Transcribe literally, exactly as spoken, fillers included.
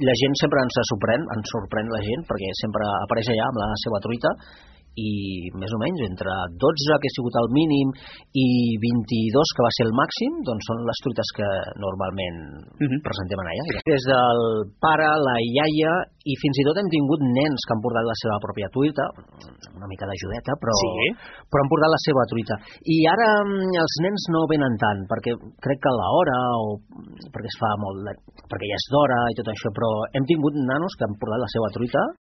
La gent sempre ens sorprèn, ens sorprèn la gent, perquè sempre apareix allà amb la seva truita, i més o menys entre dotze, que ha sigut el mínim, i vint-i-dos, que va ser el màxim, doncs són les truites que normalment uh-huh. presentem allà. Des del pare, la iaia, i fins i tot hem tingut nens que han portat la seva pròpia truita, una mica d'ajudeta, però, sí. però han portat la seva truita. I ara els nens no venen tant, perquè crec que a l'hora, o perquè es fa molt, perquè ja és d'hora i tot això, però hem tingut nanos que han portat la seva truita,